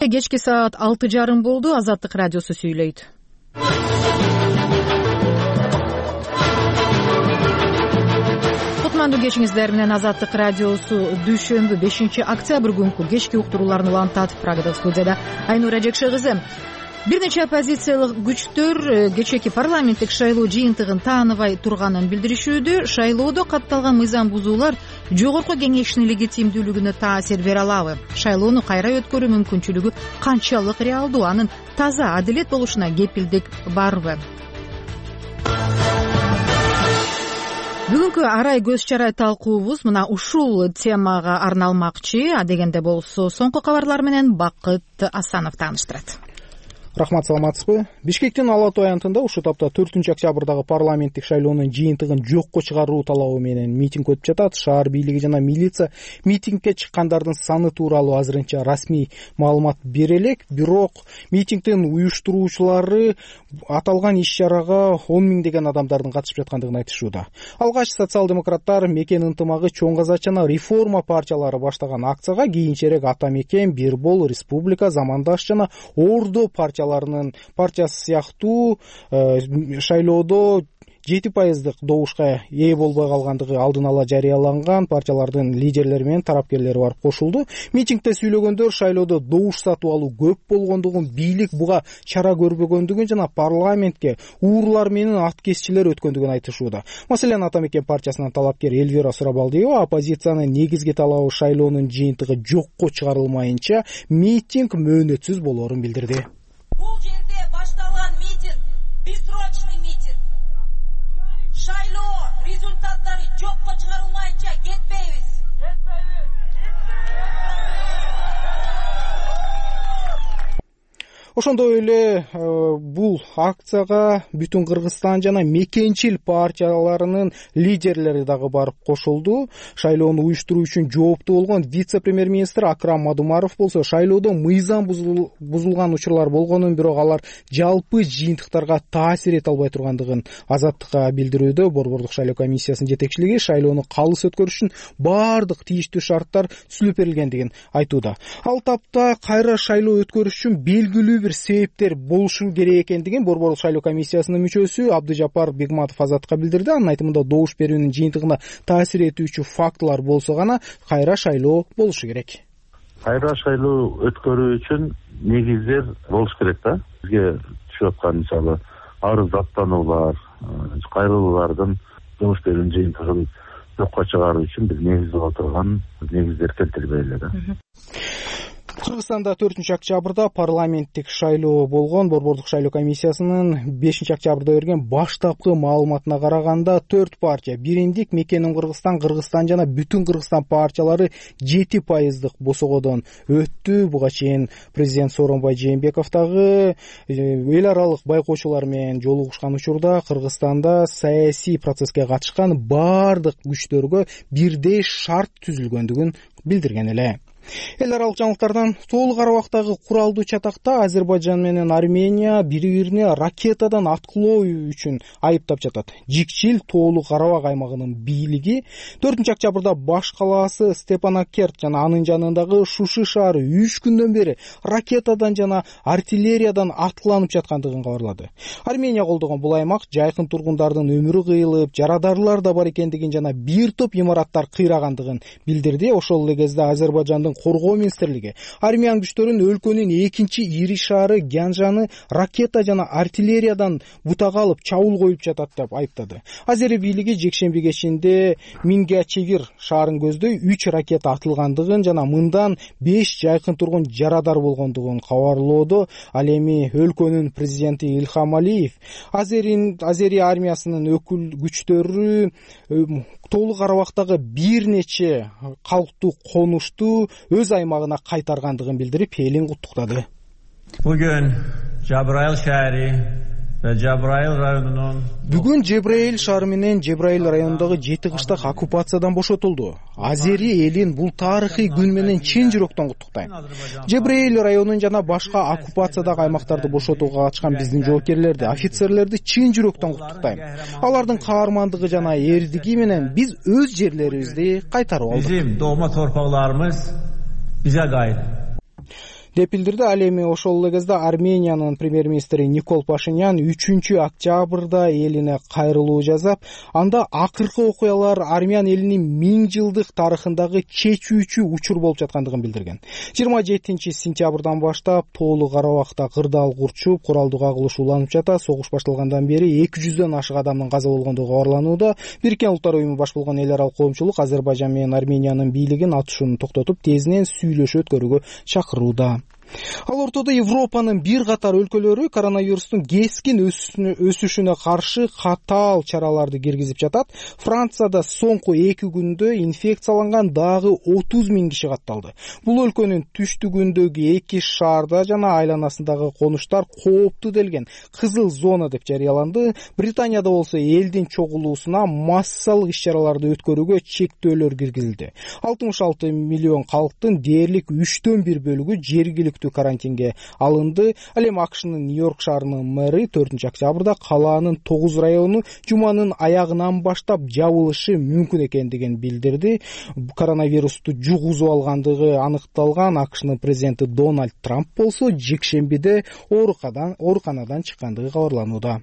Кечки саат 6:30 болду. Азаттык радиосу сүйлөйт. Кутмандуу кечиңиздер менен Азаттык радиосу дүйшөмбү 5-октябрь күнкү кечки уктурууларын улантат. Прагадагы студияда Айнура Жекше кызы. Бир нече оппозициялык күчтөр кечээки парламенттик шайлоо жыйынтыгын тааныбай турганын билдиришүүдө. Шайлоодо катталган мыйзам бузуулар жогорку кеңештин легитимдүүлүгүнө таасир бере алабы? Шайлоону кайра өткөрүү мүмкүнчүлүгү канчалык реалдуу? Анын таза адилет болушуна кепилдик барбы? Бүгүнкү арай көз чарай талкуубуз мына ушул темага арналмакчы. Адегенде болсо соңку кабарлар менен Бакыт Асанов тааныштырат. Рахмат, саламатсызбы? Бишкектин Ала Тоо аянтында ушул тапта 4-октябрдагы парламенттик шайлоонун жыйынтыгын жокко чыгаруу талабы менен митинг өтүп жатат. Шаар бийлиги жана милиция митингге чыккандардын саны тууралуу азырынча расмий маалымат бере элек. Бирок митингдин уюштуруучулары аталган иш-чарага 10 миңдеген адамдардын катышып жаткандыгын айтышууда. Алгач социал-демократтар, Мекен ынтымагы, Чоң Казак жана Реформа партиялары баштаган акцияга кийинчерээк Ата Мекен, Бирбол, Республика, Замандаш жана Ордо партиясы сыяктуу шайлоодо 7% добушка ээ болбой калгандыгы алдын ала жарыяланган партиялардын лидерлери менен тарапкерлери барып кошулду. Митингде сүйлөгөндөр шайлоодо добуш сатып алуу көп болгондугун, бийлик буга чара көрбөгөндүгүн жана парламентке уурлар менен аткезчилер өткөндүгүн айтышууда. Маселен, Ата Мекен партиясынын талапкери Эльвира Сурабалдиева оппозициянын негизги талабы шайлоонун жыйынтыгы жокко чыгарылмайынча митинг мөөнөтсүз болоорун билдирди. Бул жерде башталган митинг бессрочный митинг. Шайлоо результаттары жокко чыгарылмайынча кетпейбиз. Ошондой эле бул акцияга бүтүн Кыргызстан жана мекенчил партияларынын лидерлери дагы барып кошулду. Шайлоону уюштуруу үчүн жооптуу болгон вице-премьер-министр Акрам Мадумаров болсо шайлоодо мыйзам бузулган учурлар болгонун, бирок алар жалпы жыйынтыктарга таасир эте албай тургандыгын Азаттыкка билдирүүдө. Борбордук шайлоо комиссиясынын жетекчилиги шайлоону калыс өткөрүш үчүн баардык тийиштүү шарттар түзүлүп берилгендигин айтууда. Ал тапта кайра шайлоо өткөрүш үчүн белгилүү бир себептер болушу керек экендигин Борбордук шайлоо комиссиясынын мүчөсү Абдыжапар Бегматов Азаттыкка билдирди. Анын айтымында добуш берүүнүн жыйынтыгына таасир этүүчү фактылар болсо гана кайра шайлоо болушу керек. Кайра шайлоо өткөрүү үчүн негиздер болуш керек да. Бизге түшүп аткан мисалы арыз даттануулар, кайрылуулардын добуш берүүнүн жыйынтыгын жокко чыгаруу үчүн бир негиз боло турган негиздер келтирбейли да. Кыргызстанда 4-октябрда парламенттик шайлоо болгон. Борбордук шайлоо комиссиясынын 5-октябрда берген баштапкы маалыматына караганда 4 партия бириндик Мекенин Кыргызстан жана Бүтүн Кыргызстан партиялары 7% босогодон өттү. Буга чейин президент Сооронбай Жээнбеков дагы эл аралык байкоочулар менен жолугушкан учурда Кыргызстанда саясий процесске катышкан баардык күчтөргө бирдей шарт түзүлгөндүгүн билдирген эле. Эл аралык жаңылыктардан толук арабактагы куралдуу чатакта Азербайжан менен Армения бири-бирине ракетадан аткылоо үчүн айыптап жатат. Жикчил толук Карабак аймагынын бийлиги 4-октябрда баш калаасы Степанакерт жана анын жанындагы Шуши шаары 3 күндөн бери ракетадан жана артиллериядан аткыланып жаткандыгын кабарлады. Армения колдогон бул аймак жайкын тургундардын өмүрү кыйылып, жарадарлар да бар экендигин жана бир топ имараттар кыйрагандыгын билдирди. Ошол эле кезде Азербайжандын коргоо министрлиги армиян күчтөрүн өлкөнүн экинчи ири шаары Гянжаны ракета жана артиллериядан бутага алып чабуул коюп жатат деп айыптады. Азери бийлиги жекшемби кечинде Мингячевир шаарын көздөй 3 ракета атылгандыгын жана мындан 5 жайкын тургун жарадар болгондугун кабарлоодо. Ал эми өлкөнүн президенти Илхам Алиев Азери армиясынын өкүл күчтөрү толук Карабактагы бир нече калктуу конушту өз аймагына кайтаргандыгын билдирип, элин куттуктады. Бүгүн Жабраил шаары ve Cebrail rayonunun Бүгүн Жебраил шаары менен Жебраил районундагы 7 кыштак оккупациядан бошотулду. Азери элин бул тарыхый күн менен чын жүрөктөн куттуктайм. Жебраил районун жана башка оккупациядагы аймактарды бошотууга катышкан биздин жоокерлерди, офицерлерди чын жүрөктөн куттуктайм. Алардын каармандыгы жана эрдиги менен биз өз жерлерибизди кайтарып алдык. Bizim doğma torpaqlarımız bize qayıt. деп билдирди. Ал эми ошол эле кезде Армениянын премьер-министри Никол Пашинян 3-октябрда элине кайрылуу жасап, анда акыркы окуялар армян элинин 1000 жылдык тарыхындагы чечүүчү учур болуп жаткандыгын билдирген. 27-сентябрдан баштап тоолуу Карабакта кырдаал курчуп, куралдуу кагылыш уланып жатат. Согуш башталгандан бери 200дөн ашык адамдын каза болгондугу кабарланууда. Бириккен Улуттар уюму баш болгон эл аралык коомчулук Азербайжан менен Армениянын бийлигин атышууну токтотуп, тезинен сүйлөшүү өткөрүүгө чакырууда. Ал ортодо Европанын бир катар өлкөлөрү коронавирустун кескин өсүшүнө каршы катаал чараларды киргизип жатат. Францияда соңку 2 күндө инфекцияланган дагы 30 000 киши катталды. Бул өлкөнүн түштүгүндөгү 2 шаарда жана айланасындагы конуштар кооптуу делген кызыл зона деп жарыяланды. Британияда болсо элдин чогулуусуна массалык иш-чараларды өткөрүүгө чектөөлөр киргизилди. 66 миллион калктын дээрлик 1/3 бөлүгү жергиликтүү карантинге алынды. Ал эми АКШнын Нью-Йорк шаарынын мэри 4-октябрда калаанын 9 району жуманын аягынан баштап жабылышы мүмкүн экендигин билдирди. Коронавирусту жугузуп алгандыгы аныкталган АКШнын президенти Дональд Трамп болсо жекшембиде ооруканадан чыккандыгы кабарланууда.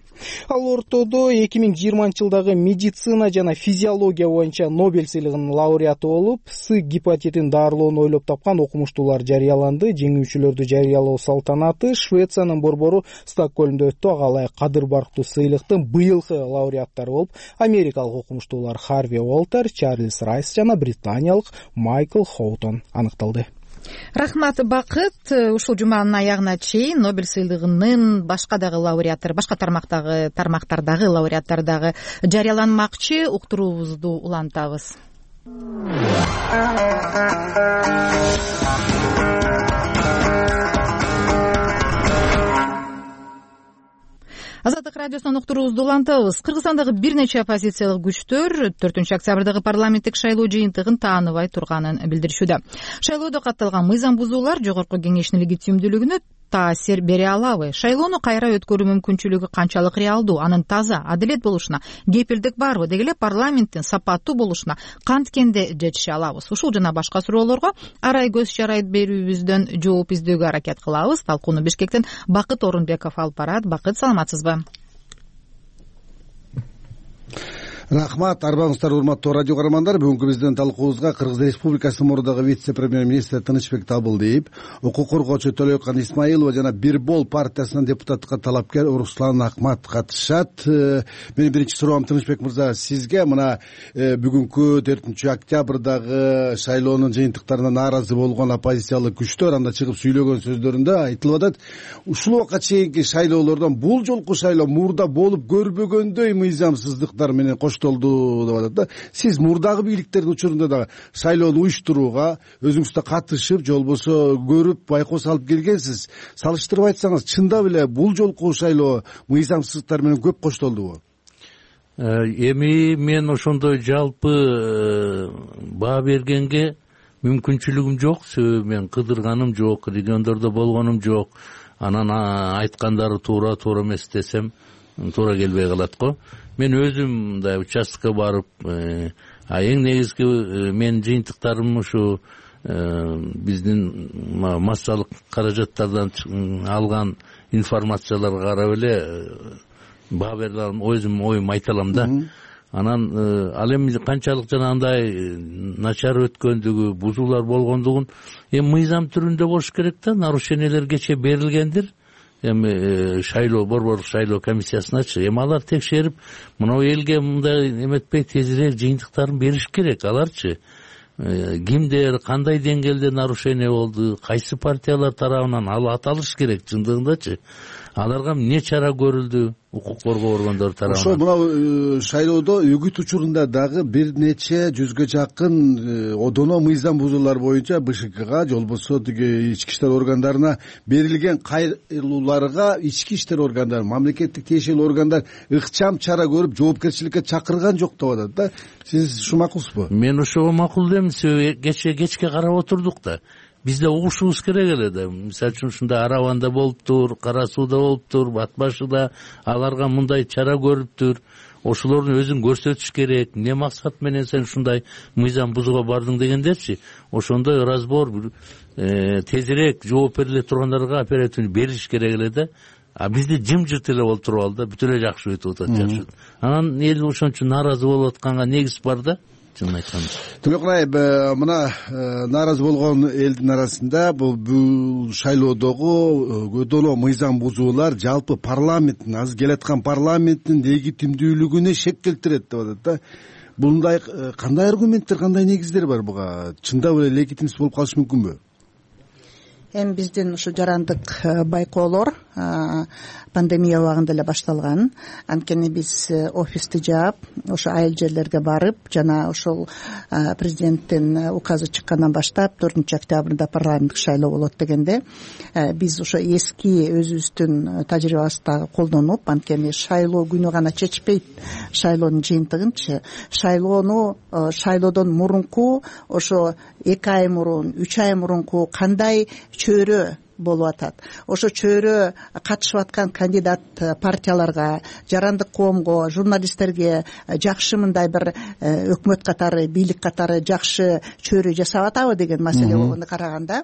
Ал ортодо 2020-жылдагы медицина жана физиология боюнча Нобель сыйлыгынын лауреаты болуп, С гепатитин дарылоону ойлоп тапкан окумуштуулар жарыяланды. Жеңүүчүлөрдү жарыялоо салтанаты Швециянын борбору Стокгольмдо өттү. Ага ылайык кадыр барктуу сыйлыктын быйылкы лауреаттары болуп америкалык окумуштуулар Харви Уолтер, Чарльз Райс жана британиялык Майкл Хоутон аныкталды. Рахмат, Бакыт. Ушул жуманын аягына чейин Нобель сыйлыгынын башка дагы лауреаттары, башка тармактардагы лауреаттары дагы жарыяланмакчы. Уктуруубузду улантабыз. Азаттык радиосунан уктуруубузду улантабыз. Кыргызстандагы бир нече оппозициялык күчтөр 4-октябрдагы парламенттик шайлоо жыйынтыгын тааныбай турганын билдиришүүдө. Шайлоодо катталган мыйзам бузуулар жогорку кеңештин легитимдүүлүгүнө таасир бере алабы? Шайлоону кайра өткөрүү мүмкүнчүлүгү канчалык реалдуу? Анын таза, адилет болушуна кепилдик барбы? Деги эле парламенттин сапаттуу болушуна канткенде жетише алабыз? Ушул жана башка суроолорго арай көз чарайт берүүбүздөн жооп издөөгө аракет кылабыз. Талкууну Бишкектен Бакыт Орунбеков алып барат. Бакыт, саламатсызбы? Рахмат, арбаңыздар, урматтуу радио көрөрмандар. Бүгүнкү биздин талкуубузга Кыргыз Республикасынын мурдагы вице-премьер-министри Тынычбек Табылдиев, укук коргоочу Төлөкан Исмаилова жана Бирбол партиясынын депутаттыкка талапкер Руслан Акмат катышат. Менин биринчи суроом, Тынычбек мырза, сизге мына бүгүнкү 4-октябрдагы шайлоонун жыйынтыктарына нааразы болгон оппозициялык күчтөр анда чыгып сүйлөгөн сөздөрүндө айтылып атат, ушул убакка чейинки шайлоолордон бул жолку шайлоо мурда болуп көрбөгөндөй мыйзамсыздыктар менен коштолду деп атат да. Сиз мурдагы бийликтердин учурунда да шайлоону уюштурууга өзүңүз да катышып, же болбосо көрүп, байкоо салып келгенсиз. Салыштырып айтсаңыз, чындап эле бул жолку шайлоо мыйзамсыздыктар менен көп коштолдубу? Эми мен ошондой жалпы баа бергенге мүмкүнчүлүгүм жок. Себеби мен кыдырганым жок, региондордо болгонум жок. Анан айткандары туура эмес десем туура келбей калат го. Мен өзүм мындай участкага барып, эң негизги менин жыйынтыктарым ушу биздин массалык каражаттардан алган информацияларга карап эле баа бере алам, өзүм оюмду айта алам да. Анан ал эми канчалык жанагындай начар өткөндүгү, бузуулар болгондугун эми мыйзам түрүндө болуш керек да. Нарушениялер кече берилгендир. Эми шайлоо, борборлук шайлоо комиссиясыначы. Эми алар текшерип, мына элге мындай эметпей тезирээк жыйынтыктарын бериш керек. Аларчы кимдер, кандай деңгээлде нарушение болду, кайсы партиялар тарабынан ал аталыш керек чындыгындачы. Аларга эмне чара көрүлдү укук коргоо органдары тарабынан? Ошо мына шайлоодо үгүт учурунда дагы бир нече жүзгө жакын одоно мыйзам бузуулар боюнча БШКга, же болбосо тиги ички иштер органдарына берилген кайрылууларга ички иштер органдары, мамлекеттик тиешелүү органдар ыкчам чара көрүп, жоопкерчиликке чакырган жок деп атат да. Сиз ушу макулсузбу? Мен ошого макул дейм. Себеби кечке карап отурдук да. Бизде угушубуз керек эле да. Мисалы үчүн ушундай Араванда болуптур, Кара Сууда болуптур, Бат Башыда аларга мындай чара көрүптүр. ошолордун өзүн көрсөтүш керек. Эмне максат менен сен ушундай мыйзам бузууга бардың дегендерчи, ошондой разбор тезирээк жооп бериле тургандарга оперативно бериш керек эле да. А бизде жымжырт эле болуп туруп алды, бүт эле жакшы өтүп атат, жакшы. Анан эл ошон үчүн нааразы болуп атканга негиз бар да. Чынын айтканда. Төлөкөн айып, мына нааразы болгон элдин арасында бул шайлоодогу көдөлөө мыйзам бузуулар жалпы парламенттин, азыр келаткан парламенттин легитимдүүлүгүнө шек келтирет деп атат да. Мындай кандай аргументтер, кандай негиздер бар буга? Чындап эле легитимсиз болуп калышы мүмкүнбү? Эми биздин ушу жарандык байкоолор пандемия убагында эле башталган. Анткени биз офисти жаап, ошо айыл жерлерге барып, жана ошол президенттин указы чыккандан баштап 4 октябрда парламенттик шайлоо болот дегенде, биз ошо эски өзүбүздүн тажрыйбабызды дагы колдонуп, анткени шайлоо күнү гана чечпейт шайлоонун жыйынтыгынчы. Шайлоодон мурунку ошо 2 ай мурун, 3 ай мурунку кандай чөйрө болуп атат, ошо чөйрө катышып аткан кандидат партияларга, жарандык коомго, журналисттерге жакшы мындай бир өкмөт катары, бийлик катары жакшы чөйрө жасап атабы деген маселе болгондо караганда,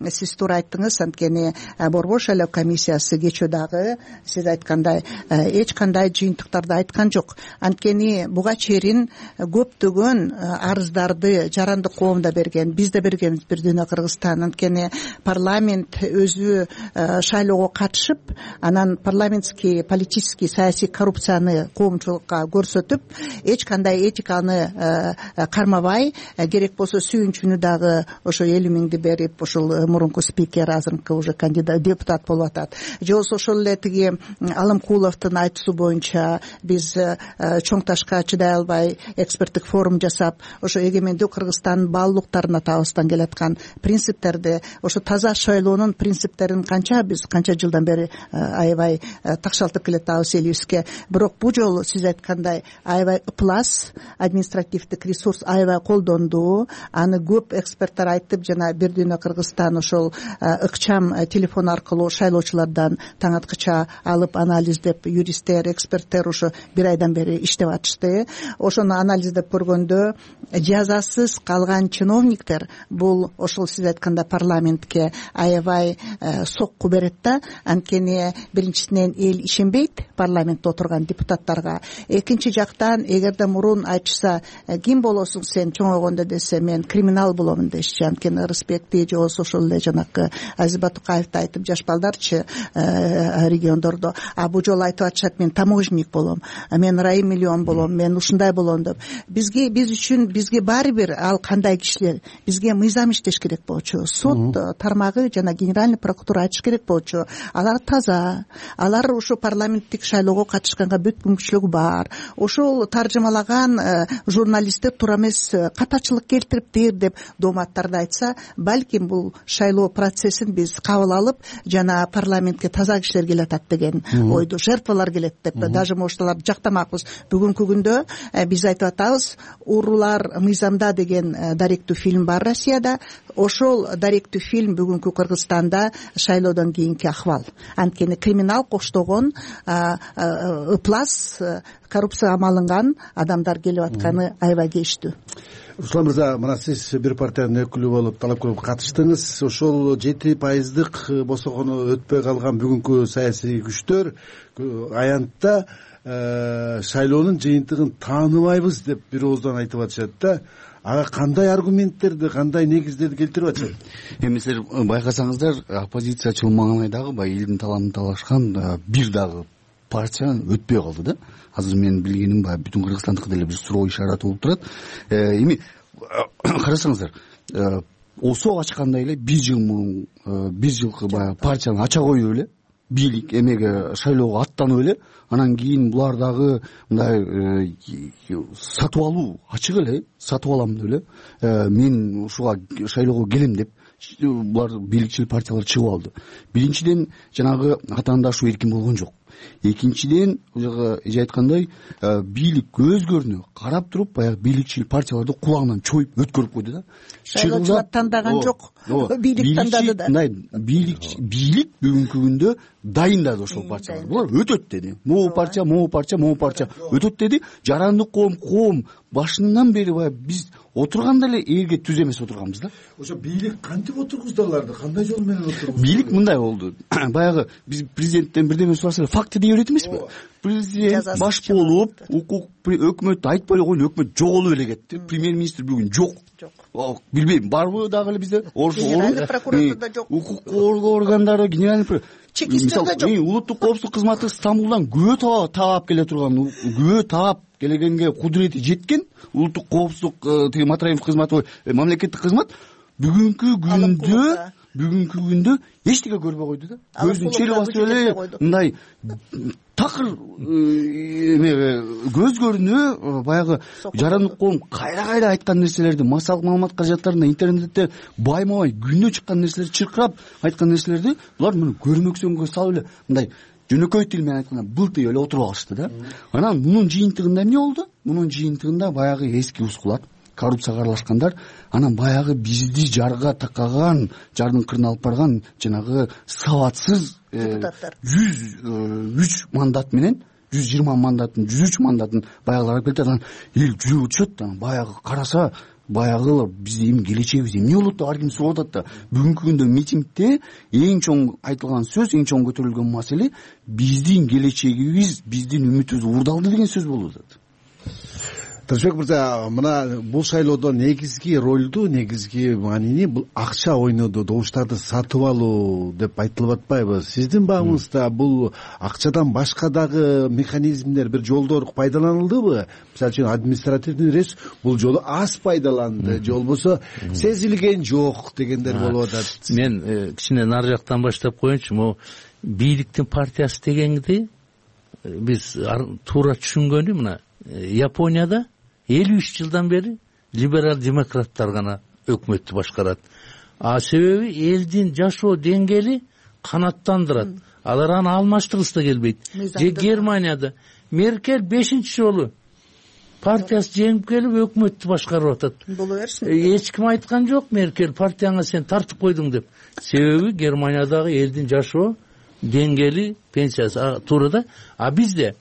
сиз туура айттыңыз. Анткени Борбор шайлоо комиссиясы кечөө дагы сиз айткандай эч кандай жыйынтыктарды айткан жок. Анткени буга чейин көптөгөн арыздарды жарандык коом да берген, биз да бергенбиз Бир Дүйнө Кыргызстан. Анткени парламент өзү шайлоого катышып, анан парламентский, политический, саясий коррупцияны коомчулукка көрсөтүп, эч кандай этиканы кармабай, керек болсо сүйүнчүнү дагы ошо 50 миңди берип, ошол мурунку спикер, азыркы уже кандидат, депутат болуп атат. Же болбосо ошол эле тиги Алымкуловдун айтуусу боюнча биз чоң ташка чыдай албай эксперттик форум жасап, ошо эгемендүү Кыргызстандын баалуулуктарына табыстан келаткан принциптерди, ошо таза шайлоонун принциптерин биз канча жылдан бери аябай такшалтып келатабыз элибизге. Бирок бул жолу сиз айткандай аябай ыплас, административдик ресурс аябай колдонду. Аны көп эксперттер айтып, жана Бир Дүйнө Кыргызстан ошол ыкчам телефон аркылуу шайлоочулардан таң аткыча алып анализдеп, юристтер, эксперттер ошо 1 айдан бери иштеп атышты. Ошону анализдеп көргөндө жазасыз калган чиновниктер бул ошол сиз айткандай парламентке аябай сокку берет да. Анткени биринчисинен эл ишенбейт парламентте отурган депутаттарга. Экинчи жактан, эгерде мурун айтышса, ким болосуң сен чоңойгондо десе, мен криминал боломун дешчи. Анткени Ырысбекти же болбосо ошол эле жанакы Азиз Батукаевди айтып, жаш балдарчы региондордо, а бул жолу айтып атышат, мен таможенник болом, мен райым миллион болом, мен ушундай болом деп. Биз үчүн бизге баары бир ал кандай кишилер, бизге мыйзам иштеш керек болчу. Сот тармагы жана генеральный прокуратура айтыш керек болчу. Алар таза, алар ушу парламенттик шайлоого катышканга бүт мүмкүнчүлүгү бар. Ошол таржымалаган журналисттер туура эмес катачылык келтириптир деп дооматтарды айтса, балким бул шайлоо процессин биз кабыл алып, жана парламентке таза кишилер келатат деген ойду, жертвалар келет деп даже ошолорду жактамакпыз. Бүгүнкү күндө биз айтып атабыз, Уруулар мыйзамда деген даректүү фильм бар Россияда. Ошол даректүү фильм бүгүнкү Кыргызстанда шайлоодон кийинки акыбал. Анткени криминал коштогон, ыплас, коррупцияга малынган адамдар келип атканы аябай кештүү. Руслан мырза, мына сиз бир партиянын өкүлү болуп талап көрүп катыштыңыз. Ошол 7% босогону өтпөй калган бүгүнкү саясий күчтөр аянтта шайлоонун жыйынтыгын тааныбайбыз деп бир ооздан айтып атышат да. Ага кандай аргументтерди, кандай негиздерди келтирип атышат? Эми силер байкасаңыздар, оппозиция чылмаган айдагы баягы элдин талабын талашкан бир дагы партия өтпөй калды да. Азыр менин билгеним баягы бүтүн Кыргызстандыкы деле бир суроо ишараты болуп турат. Эми карасаңыздар, ОСО ачкандай эле 1 жыл мурун 1 жылкы баягы партияны ача коюп эле бийлик эмеге шайлоого аттанып эле, анан кийин булар дагы мындай сатып алуу ачык эле, сатып алам деп эле, мен ушуга шайлоого келем деп булар бийликчил партиялар чыгып алды. Биринчиден жанагы атаандашуу эркин болгон жок. Экинчиден ожого эже айткандай бийлик көзгөрүнө карап туруп баягы бийликчил партияларды кулагынан чоюп өткөрүп койду да. Шайлоочулар тандаган жок, бийлик тандады да. Бийлик бүгүнкү күндө дайындады ошол партияларды. Булар өтөт деди. Могу партия өтөт деди. Жарандык коом башынан бери баягы биз отурганда эле элге түз эмес отурганбыз да. Ошо бийлик кантип отургузду аларды? Кандай жол менен отургузду? Бийлик мындай болду. Баягы биз президенттен бирдеме сурасак факты дей берет эмеспи? Президент баш болуп, өкмөт айтпай эле койду, өкмөт жоголуп эле кетти. Премьер-министр бүгүн жок. Билбейм, барбы дагы эле бизде? Генеральный прокуратурада жок. Укук коргоо органдары, генеральный чекистерде жок. Улуттук коопсуздук кызматы Стамбулдан күбө таап келе турган, күбө таап келгенге кудурети жеткен улуттук коопсуздук тиги Матраимов кызматы, мамлекеттик кызмат бүгүнкү күндө эчтеке көрбөй койду да. Көздүн чели басып эле мындай такыр көзгөрүнө баягы жарандык коом кайра айткан нерселерди, массалык маалымат каражаттарында интернетте байма-бай күнөө чыккан нерселерди чыркырап айткан нерселерди булар муну көрмөксөнгө салып эле мындай жөнөкөй тил менен айтканда былтый эле отуруп алышты да. Анан мунун жыйынтыгында эмне болду? Мунун жыйынтыгында баягы эски ускулар, коррупцияга аралашкандар, анан баягы бизди жарга такаган, жардын кырына алып барган жанагы сабатсыз депутаттар 103 мандат менен 120 мандатын, 103 мандатын баягылар алып келди. Анан эл жүрүп өтүшөт. Баягы караса баягы биздин келечегибиз эмне болот деп ар ким сурап атат да. Бүгүнкү күндө митингде эң чоң айтылган сөз, эң чоң көтөрүлгөн маселе биздин келечегибиз, биздин үмүтүбүз уурдалды деген сөз болуп атат. Тынычбек мырза, мына бул шайлоодо негизги ролду, негизги маанини бул акча ойноду, добуштарды сатып алуу деп айтылып атпайбы? Сиздин багыңызда бул акчадан башка дагы механизмдер, бир жолдор пайдаланылдыбы? Мисалы үчүн административный ресурс бул жолу аз пайдаланды, же болбосо сезилген жок дегендер болуп атат. Мен кичине нары жактан баштап коеюнчу. Могу бийликтин партиясы дегенди биз туура түшүнгөнү мына Японияда 53 жылдан бери либерал демократтар гана өкмөттү башкарат. Себеби элдин жашоо деңгээли канаттандырат. Алар аны алмаштыргысы да келбейт. Же Германияда Меркель 5-чи жолу партиясы жеңип келип өкмөттү башкарып атат. Боло берсин. Эч ким айткан жок Меркель партияңа сен тартып койдуң деп. Себеби Германиядагы элдин жашоо деңгээли, пенсиясы туура да. Бизде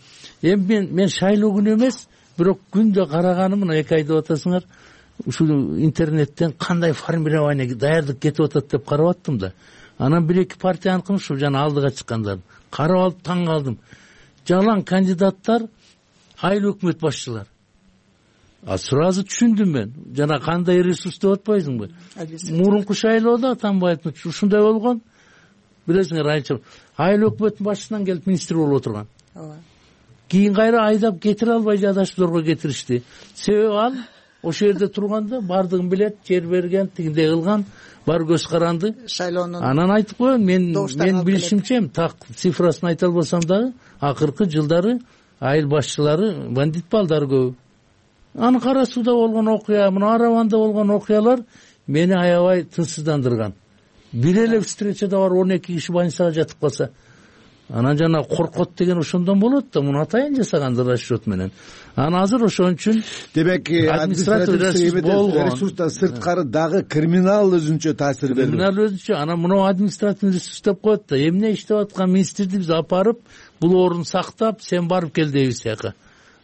мен шайлоо күнү эмес, бирок күндө караганым мына 2 ай деп атасыңар, ушул интернеттен кандай формирование даярдык кетип атат деп карап аттым да. Анан 1-2 партияныкын ушу жана алдыга чыккандар карап алып таң калдым. Жалаң кандидаттар, айыл өкмөт башчылар. Сразу түшүндүм мен. Жана кандай ресурс деп атпайсыңбы? Мурунку шайлоодо Атамбаевдин ушундай болгон. Билесиңер, айыл өкмөттүн башчысынан келип министр болуп отурган. Кийин кайра айдап кетире албай жадашпыларга кетиришти. Себеби ал ошол жерде турганда бардыгын билет, жер берген, тигиндей кылган, бар көз каранды. Шайлоонун анан айтып коеюн, мен билишимче, так цифрасын айта албасам дагы, акыркы жылдары айыл башчылары бандит балдар көп. Аны Кара сууда болгон окуя, мына Араванда болгон окуялар мени аябай тынчсыздандырган. Бир эле встречада бар 12 киши больницага жатып калса, анан жана коркот деген ошондон болот да, муну атайын жасагандыр расчет менен. Анан азыр ошон үчүн демек административдик ресурстан сырткары дагы криминал өзүнчө таасир берди. Криминал өзүнчө, анан мына административдик ресурс деп коет да, эмне иштеп аткан министрди биз апарып, бул орун сактап, сен барып кел дейбиз яка.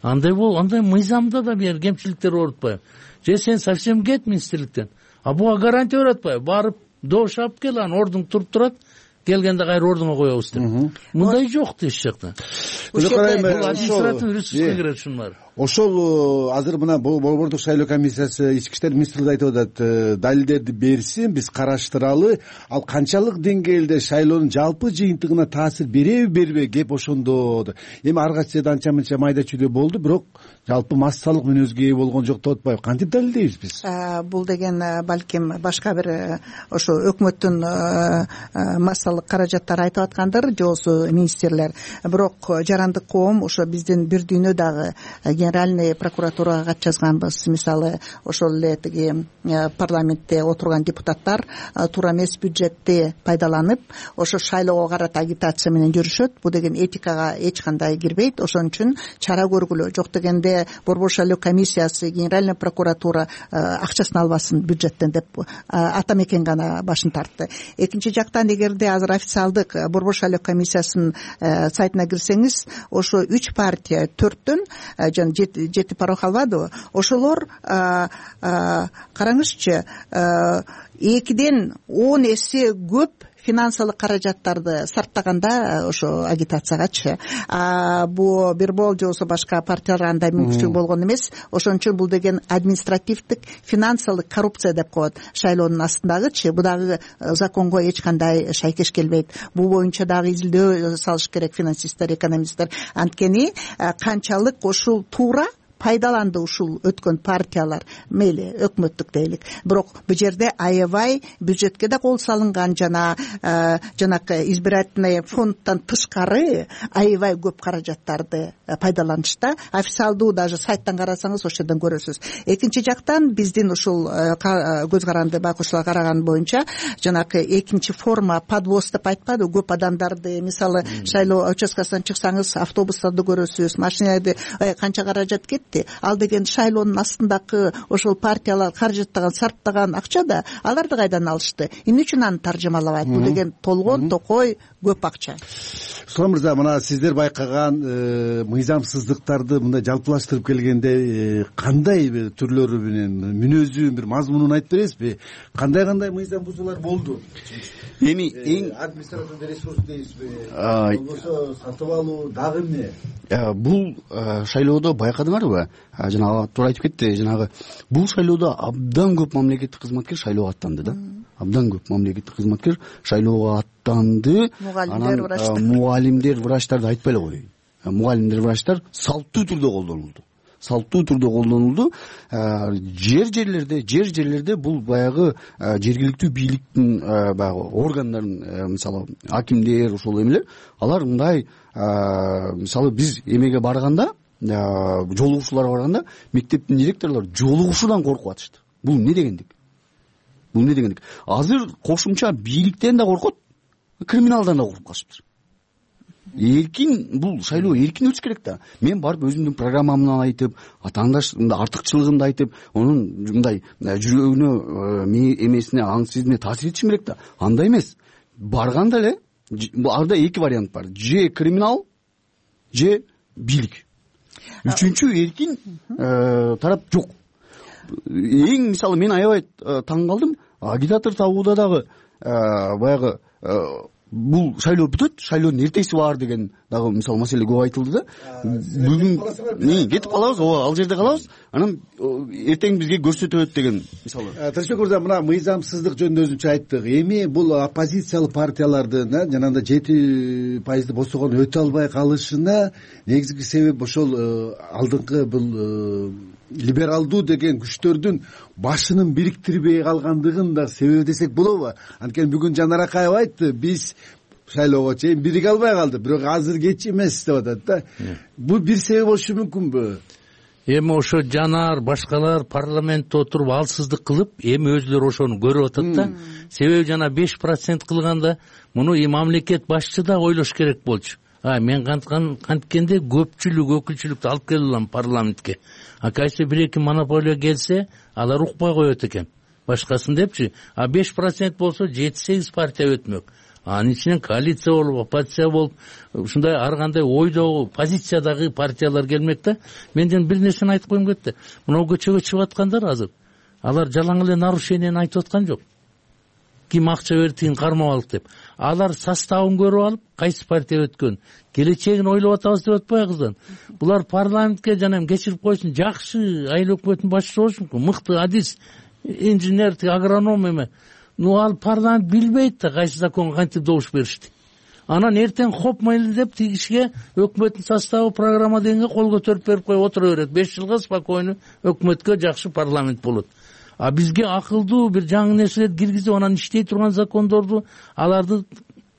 Андай мыйзамда да бир кемчиликтер бар атпайбы? Же сен совсем кет министрликтен. Буга гарантия берип атпайбы? Барып добуш алып кел, анан ордуң туруп турат. Келгенде кайра ордуңа коебуз деп. Мындай жок эч жакта. Административный ресурска кирет ушунар. Ошол азыр мына Борбордук шайлоо комиссиясы ички иштер министрлиги айтып атат, далилдерди берсин, биз караштыралы. Ал канчалык деңгээлде шайлоонун жалпы жыйынтыгына таасир береби, бербейби, кеп ошондо. Эми ар кайсы жерде анча-мынча майда чүйдө болду, бирок жалпы массалык мүнөзгө ээ болгон жок деп атпайбы? Кантип далилдейбиз биз? Бул деген балким башка бир ошо өкмөттүн массалык каражаттары айтып аткандыр, же болбосо министрлер. Бирок жарандык коом ошо биздин бир дүйнө дагы генеральный прокуратурага кат жазганбыз. Мисалы ошол эле тиги парламентте отурган депутаттар туура эмес бюджетти пайдаланып ошо шайлоого карата агитация менен жүрүшөт. Бул деген этикага эч кандай кирбейт. Ошон үчүн чара көргүлө. Жок дегенде борбор шайлоо комиссиясы, генеральный прокуратура акчасын албасын бюджеттен деп ата мекен гана башын тартты. Экинчи жактан эгерде азыр официалдык борбор шайлоо комиссиясынын сайтына кирсеңиз, ошо 3 партия 4төн жана 7 порог албадыбы? Ошолор караңызчы 2ден 10 эсе көп финансылык каражаттарды сарптаганда ошо агитациягачы. Бул Бирбол же болбосо башка партиялар андай мүмкүнчүлүк болгон эмес. Ошон үчүн бул деген административдик финансылык коррупция деп коет шайлоонун астындагычы. Бул дагы законго эч кандай шайкеш келбейт. Бул боюнча дагы изилдөө салыш керек финансисттер, экономисттер. Анткени канчалык ушул туура пайдаланды ушул өткөн партиялар, мейли өкмөттүк дейлик, бирок бул жерде аябай бюджетке да кол салынган, жанакы избирательный фонддон тышкары аябай көп каражаттарды пайдаланышта. Официалдуу даже сайттан карасаңыз ошол жерден көрөсүз. Экинчи жактан биздин ушул көз каранды байкоочулар караган боюнча жанакы экинчи форма подвоз деп айтпады, көп адамдарды, мисалы шайлоо участкасынан чыксаңыз автобустарды көрөсүз, машиналарды канча каражат кетти. Ал деген шайлоонун астындагы ошол партиялар каражаттаган, сарптаган акча да аларды кайдан алышты? Эмне үчүн аны таржымалабайт? Бул деген толгон токой көп акча. Сулам мырза, мына сиздер байкаган мыйзамсыздыктарды мындай жалпылаштырып келгенде кандай түрлөрү менен, мүнөзү, бир мазмунун айтып бересизби? Кандай мыйзам бузуулар болду? Эми эң административдик ресурс дейсизби? Болбосо сатып алуу дагы эмне? Бул шайлоодо байкадыңарбы? Жанагы туура айтып кетти. Жанагы бул шайлоодо абдан көп мамлекеттик кызматкер шайлоого аттанды да. Абдан көп мамлекеттик кызматкер шайлоого аттанды. Мугалимдер, врачтарды айтпай эле коеюн. Мугалимдер, врачтар салттуу түрдө колдонулду. Жерлерде бул баягы жергиликтүү бийликтин баягы органдарын, мисалы акимдер, ошол эмелер, алар мындай, мисалы биз эмеге барганда, жолугушууларга барганда, мектептин директорлору жолугушуудан коркуп атышты. Бул эмне дегендик? Азыр кошумча бийликтен да коркот, криминалдан да коркуп калышыптыр. Бул шайлоо эркин өтүш керек да. Мен барып өзүмдүн программамды айтып, атаандаш артыкчылыгымды айтып, онун мындай жүрөгүнө, эмесине, аң сезимине таасир этишим керек да. Андай эмес. Барганда эле арда 2 вариант бар. Же криминал, же бийлик. Үчүнчү эркин тарап жок. Эң мисалы мен аябай таң калдым. Агитатор табууда дагы баягы бул шайлоо бүтөт, шайлоонун эртеси бар деген дагы мисалы маселе көп айтылды да. Бүгүн кетип калабыз, ал жерде калабыз, анан эртең бизге көрсөтөт деген мисалы. Тынчбек мырза, мына мыйзамсыздык жөнүндө өзүнчө айттык. Эми бул оппозициялык партиялардын жанагындай 7% босогон өтө албай калышына негизги себеп ошол алдыңкы бул либералдуу деген күчтөрдүн башынын бириктирбей калгандыгын да себеби десек болобу? Анткени бүгүн Жанар Акаева айтты, биз шайлоого чейин бириге албай калды, бирок азыр кеч эмес деп атат да. Бул бир себеп болушу мүмкүнбү? Эми ошо Жанар, башкалар парламентте отуруп алсыздык кылып, эми өзүлөрү ошону көрүп атат да. Себеби жана 5% кылганда муну мамлекет башчысы да ойлош керек болчу. Мен канткенде көпчүлүк, өкүлчүлүктү алып келе алам парламентке. Кайсы бир-эки монополия келсе, алар укпай коет экен. Башкасын депчи. 5% болсо 7-8 партия өтмөк. Анын ичинен коалиция болуп, оппозиция болуп, ушундай ар кандай ойдогу, позициядагы партиялар келмек да. Менден бир нерсени айтып коюм кетти. Мына көчөгө чыгып аткандар азыр. Алар жалаң эле нарушениени айтып аткан жок. Ким акча берди, тигин кармап алып деп. Алар составын көрүп алып, кайсы партия өткөн, келечегин ойлоп атабыз деп атпайбыздан. Булар парламентке жана кечирип койсун, жакшы айыл өкмөтүнүн башчысы болушу мүмкүн, мыкты адис, инженер, агроном эме. Ал парламент билбейт да кайсы законго кантип добуш беришти. Анан эртең хоп мейли деп тигишке өкмөттүн составы программа дегенге кол көтөрүп берип коюп отура берет. 5 жылга спокойно өкмөткө жакшы парламент болот. Бизге акылдуу бир жаңы нерселерди киргизип, анан иштей турган закондорду аларды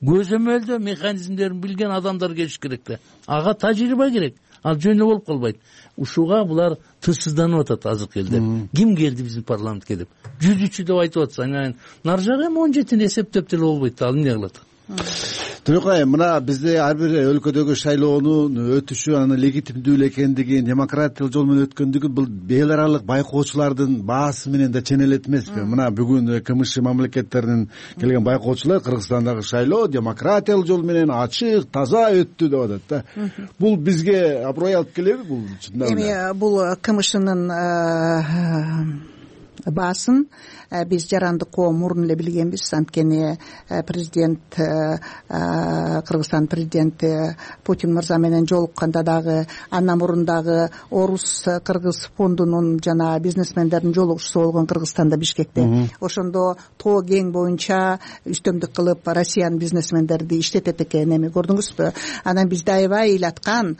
көзөмөлдөө механизмдерин билген адамдар келиш керек да. Ага тажрыйба керек. Ал жөн эле болуп калбайт. Ушуга булар тышсызданып атат азыркы элдер. Ким келди биздин парламентке деп 103 деп айтып атса, анан нары жагы эми 17-ни эсептеп деле болбойт. Ал эмне кылат? Төлөкай, мына бизде ар бир өлкөдөгү шайлоонун өтүшү, анын легитимдүү эле экендиги, демократиялык жол менен өткөндүгү бул эл аралык байкоочулардын баасы менен да ченелет эмеспи? Мына бүгүн КМШ мамлекеттеринин келген байкоочулар Кыргызстандагы шайлоо демократиялык жол менен ачык, таза өттү деп атат да. Бул бизге аброй алып келеби бул? Эми бул КМШнын баасын биз жарандык коом мурун эле билгенбиз. Анткени президент, Кыргызстан президенти Путин мырза менен жолукканда дагы, андан мурун дагы Орус Кыргыз фондунун жана бизнесмендердин жолугушуусу болгон Кыргызстанда, Бишкекте. Ошондо тоо кең боюнча үстөмдүк кылып Россиянын бизнесмендерди иштетет экен. Эми көрдүңүзбү? Анан бизде аябай ыйлаткан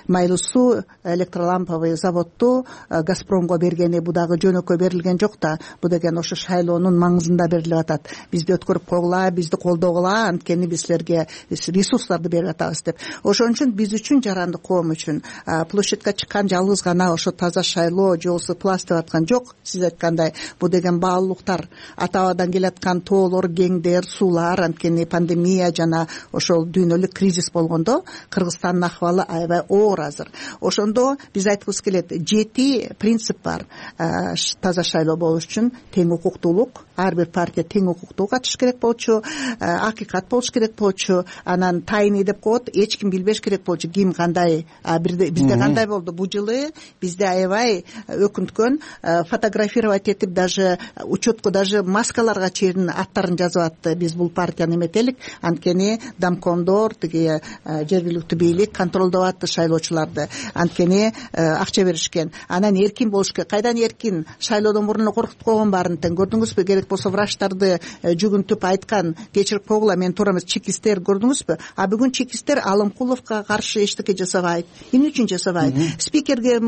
Майлуу суу электроламповый заводду Газпромго бергени бу дагы жөнөкөй берилген жок да. Бу деген ошо шайлоонун маңызында берилип атат. Бизди өткөрүп койгула, бизди колдогула, анткени биз силерге ресурстарды берип атабыз деп. Ошон үчүн биз үчүн, жарандык коом үчүн площадька чыккан жалгыз гана ошо таза шайлоо, же болбосо пласт деп аткан жок. Сиз айткандай, бу деген баалуулуктар, ата-бабадан келаткан тоолор, кеңдер, суулар, анткени пандемия жана ошол дүйнөлүк кризис болгондо Кыргызстандын акыбалы аябай оор азыр. Ошондо биз айткыбыз келет, 7 принцип бар таза шайлоо болуш үчүн. Тең укуктуулук, ар бир партия тең укуктуу катышыш керек болчу, акыйкат болуш керек болчу, анан тайный деп коет, эч ким билбеш керек болчу ким кандай. Бизде кандай болду бул жылы? Бизде аябай өкүнткөн, фотографировать этип, даже учетко, даже маскаларга чейин аттарын жазып атты. Биз бул партияны эметелик, анткени домкомдор, тиги жергиликтүү бийлик контролдоп атты шайлоочуларды, анткени акча беришкен. Анан эркин болуш керек. Кайдан эркин? Шайлоодон мурун эле коркутуп койгон баарын тең. Көрдүңүзбү? Керек болсо врачтарды жүгүнтүп айткан, кечирип койгула, мен туура эмес, чекистер, көрдүңүзбү? А бүгүн чекистер Алымкуловго каршы эчтеке жасабайт. Эмне үчүн жасабайт? Спикерге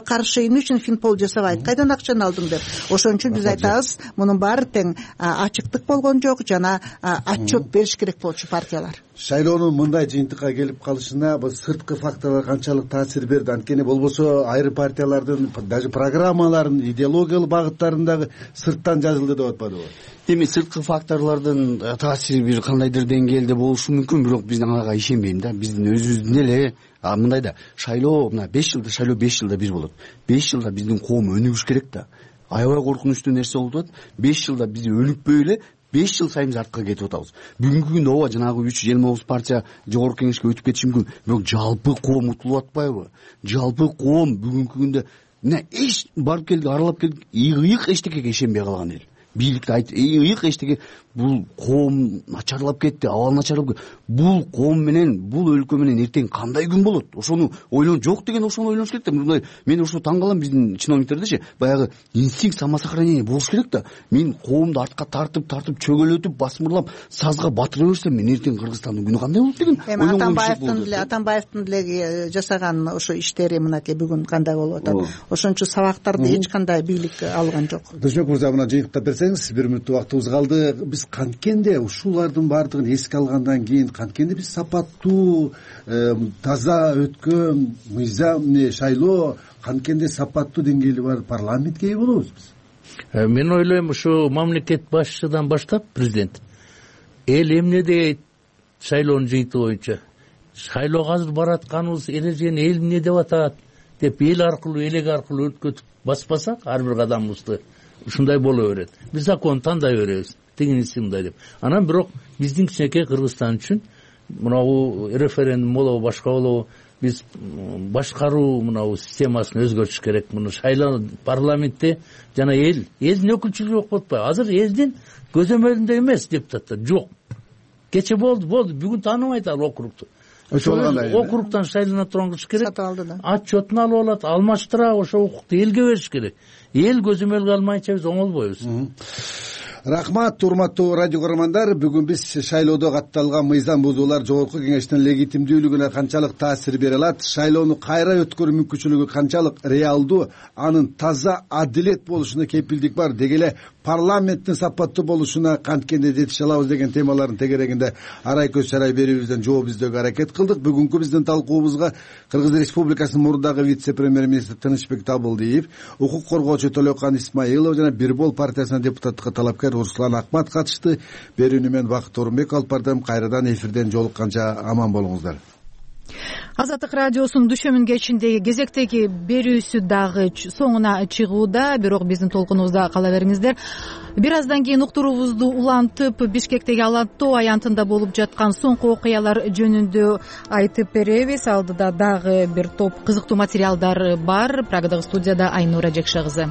каршы эмне үчүн финпол жасабайт? Кайдан акчаны алдың деп. Ошон үчүн биз айтабыз, мунун баары тең ачыктык болгон жок, жана отчет бериш керек болчу партиялар. Шайлоонун мындай жыйынтыкка келип калышына бул сырткы факторлор канчалык таасир берди? Анткени болбосо айрым партиялардын даже программаларын, идеологиялык багыттарындагы сырттан жазылды деп атпадыбы? Эми сырткы факторлордун таасири бир кандайдыр деңгээлде болушу мүмкүн, бирок биз ага ишенбейм да. Биздин өзүбүздүн эле мындай да, шайлоо мына 5 жылда, шайлоо 5 жылда бир болот. 5 жылда биздин коом өнүгүш керек да. Аябай коркунучтуу нерсе болуп атат. 5 жылда биз өнүкпөй эле 5 жыл сайын биз артка кетип атабыз. Бүгүнкү күндө ооба жанагы 329 партия жогорку кеңешке өтүп кетиши мүмкүн, бирок жалпы коом утулуп атпайбы? Жалпы коом бүгүнкү күндө эч барып келдик, аралап келдик, ыйык эчтекеге ишенбей калган эл. Бийликти ыйык эчтеке, бул коом начарлап кетти, абал начарлап кетти. Бул коом менен, бул өлкө менен эртең кандай күн болот? Ошону ойлон, жок деген ошону ойлонуш керек да. Мен ошо таң калам, биздин чиновниктердечи баягы инстинкт самосохранения болуш керек да. Мен коомду артка тартып чөгөлөтүп, басмырлап, сазга батыра берсем, мен эртең Кыргызстандын күнү кандай болот деген. Эми Атамбаевдин деле жасаган ошо иштери мынакей бүгүн кандай болуп атат. Ошончо сабактарды эч кандай бийлик алган жок. Дүйшөк мырза, мына жыйынтыктап берсеңиз, 1 мүнөттүк убактыбыз калды. Биз канткенде ушулардын баардыгын эске алгандан кийин канткенде биз сапаттуу, таза өткөн мыйзам шайлоо, канткенде сапаттуу деңгээли бар парламентке ээ болобуз биз? Мен ойлойм, ушу мамлекет башчыдан баштап президент эл эмне дейт шайлоонун жыйынтыгы боюнча, шайлоого азыр баратканыбыз эрежени эл эмне деп атат деп эл аркылуу, элек аркылуу өткөтүп баспасак ар бир кадамыбызды, ушундай боло берет. Биз закон тандай беребиз, тигиниси мындай деп. Анан бирок биздин кичинекей Кыргызстан үчүн мынабу референдум болобу, башка болобу, биз башкаруу мынабу системасын өзгөртүш керек. Муну шайлоо парламентте жана элдин өкүлчүлүгү болуп атпайбы? Азыр элдин көзөмөлүндө эмес депутаттар жок. Кече болду, бүгүн тааныбайт ал округду. Округтан шайлана турган кыш керек. Отчетун алып алат, алмаштыра, ошо укукту элге бериш керек. Эл көзөмөлгө алмайынча биз оңолбойбуз. Рахмат, урматтуу радио көрөрмандар. Бүгүн биз шайлоодо катталган мыйзам бузуулар жогорку кеңештин легитимдүүлүгүнө канчалык таасир бере алат, шайлоону кайра өткөрүү мүмкүнчүлүгү канчалык реалдуу, анын таза адилет болушуна кепилдик бар, деги эле парламенттин сапаттуу болушуна канткенде жетише алабыз деген темалардын тегерегинде арай көз чарай берүүбүздөн жооп издөөгө аракет кылдык. Бүгүнкү биздин талкуубузга Кыргыз Республикасынын мурдагы вице-премьер-министри Тынычбек Табылдиев, укук коргоочу Төлөкан Исмаилова жана Бир-бол партиясынын депутаттыкка талапкер Руслан Акмат катышты. Берүүнү мен Бакыт Орунбек алып бардым. Кайрадан эфирден жолукканча аман болуңуздар. Азаттык радиосунун дүшөмүн кечиндеги кезектеги берүүсү дагы соңуна чыгууда, бирок биздин толкунубузда кала бериңиздер. Бир аздан кийин уктуруубузду улантып, Бишкектеги Ала-Тоо аянтында болуп жаткан соңку окуялар жөнүндө айтып беребиз. Алдыда дагы бир топ кызыктуу материалдар бар. Прагадагы студияда Айнура Жекше кызы.